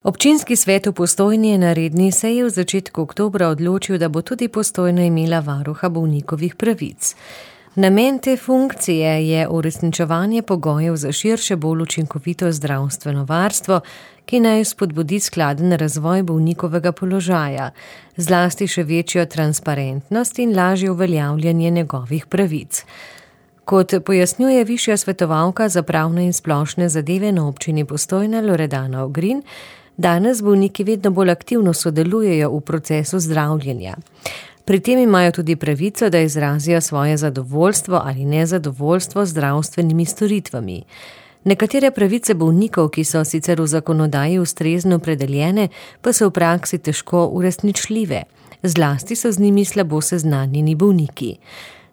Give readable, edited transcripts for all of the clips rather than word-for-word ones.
Občinski svet v Postojni je na redni seji v začetku oktobra odločil, da bo tudi Postojna imela varuha bolnikovih pravic. Namen te funkcije je uresničevanje pogojev za širše, bolj učinkovito zdravstveno varstvo, ki naj spodbudi skladen razvoj bolnikovega položaja, zlasti še večjo transparentnost in lažje uveljavljanje njegovih pravic. Kot pojasnjuje višja svetovalka za pravne in splošne zadeve na občini Postojna Loredana Ogrin, danes bolniki vedno bolj aktivno sodelujejo v procesu zdravljenja. Pri tem imajo tudi pravico, da izrazijo svoje zadovoljstvo ali nezadovoljstvo z zdravstvenimi storitvami. Nekatere pravice bolnikov, ki so sicer v zakonodaji ustrezno opredeljene, pa so v praksi težko uresničljive. Zlasti so z njimi slabo seznanjeni bolniki.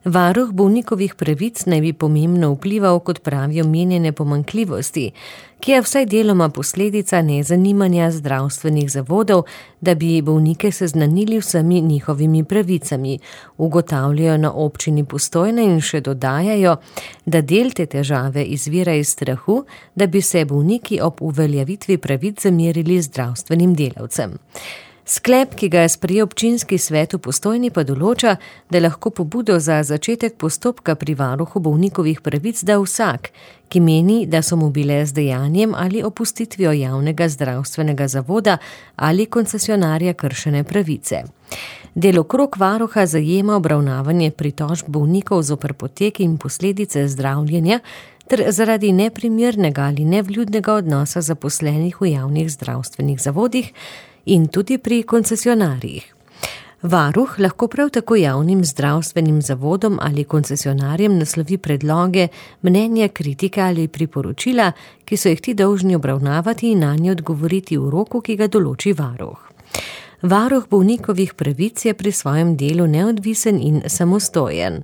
Varuh bolnikovih pravic naj bi pomembno vplival, kot pravijo, omenjene pomanjkljivosti, ki je vsaj deloma posledica nezanimanja zdravstvenih zavodov, da bi bolnike seznanili vsemi njihovimi pravicami, ugotavljajo na občini Postojna in še dodajajo, da del te težave izvira iz strahu, da bi se bolniki ob uveljavitvi pravic zamerili zdravstvenim delavcem. Sklep, ki ga je sprejel občinski svet v Postojni, pa določa, da lahko pobudo za začetek postopka pri varuhu bolnikovih pravic da vsak, ki meni, da so mu bile z dejanjem ali opustitvijo javnega zdravstvenega zavoda ali koncesionarja kršene pravice. Delokrog varuha zajema obravnavanje pritožb bolnikov zoper potek in posledice zdravljenja ter zaradi neprimernega ali nevljudnega odnosa zaposlenih v javnih zdravstvenih zavodih in tudi pri koncesionarjih. Varuh lahko prav tako javnim zdravstvenim zavodom ali koncesionarjem naslovi predloge, mnenja, kritike ali priporočila, ki so jih ti dolžni obravnavati in nanje odgovoriti v roku, ki ga določi varuh. Varuh bolnikovih pravic je pri svojem delu neodvisen in samostojen.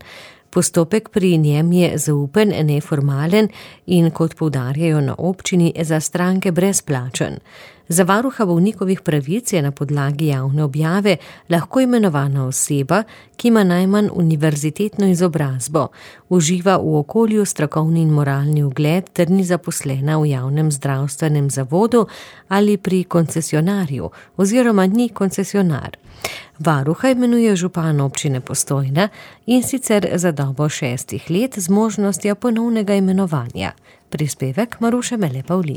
Postopek pri njem je zaupen, neformalen in, kot poudarjajo na občini, za stranke brezplačen. Za varuha bolnikovih pravic je na podlagi javne objave lahko imenovana oseba, ki ima najmanj univerzitetno izobrazbo, uživa v okolju strokovni in moralni ugled ter ni zaposlena v javnem zdravstvenem zavodu ali pri koncesionarju oziroma ni koncesionar. Varuha imenuje župan občine Postojna in sicer za dobo 6 let z možnostjo ponovnega imenovanja. Prispevek Maruše Mele Pavlin.